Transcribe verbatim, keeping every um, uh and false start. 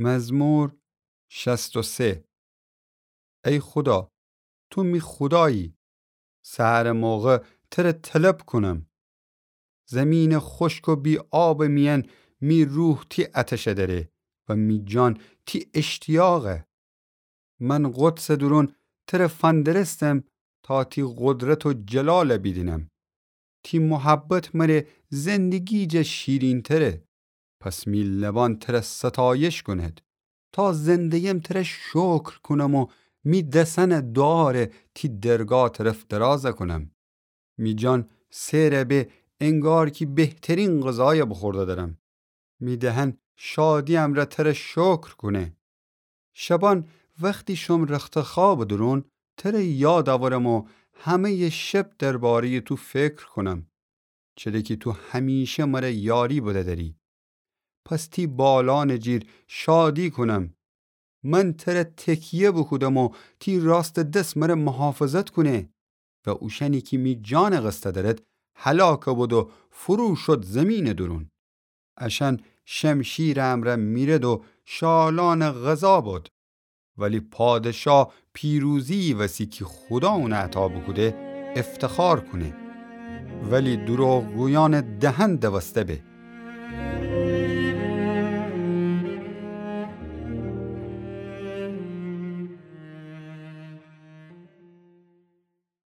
مزمور شصت و سه. ای خودا، تو می خودایی، سحرٚ موقع تره طلب کونم. زیمینٚ خوشک و بی‌آبٚ میأن می روح تی آتشه دأره و می جان تی اشتیاقه. من قدسٚ دورون تره فندرستم تا تی قدرت و جلاله بیدینم. تی محبت مره زندگی جا شیرین‌تره. پس می لبان تره ستایش کونید، تا زنده‌یم تره شکر کونم و می دسأنه دواره تی درگاه طرف درازه کونم. می جان سئر به انگار کی بهترین غذایه بوخورده درم. می دهن شادی امرأ تره شکر کونه. شبان وختی شوم رختخوابٚ دورون، تره یاد اورم و همه‌یٚ شب درباره‌یٚ تو فکر کونم. چره کی تو همیشه مره یاری بده‌دری. پس تی بالانٚ جیر شادی کونم. من تره تکیه بوکودم و تی راستٚ دس مره محافظت کونه. و اوشأنی کی می جانٚ قصه دأرد، هلاک بد و فرو شد زیمینٚ دورون. اشأن شمشیرٚ امرأ میرد و شالانٚ غذا بد. ولی پادشاه پیروزی‌یی وسی کی خودا اونه عطا بوکوده افتخار کونه. ولی دروغگویأنٚ دهن دوسته به.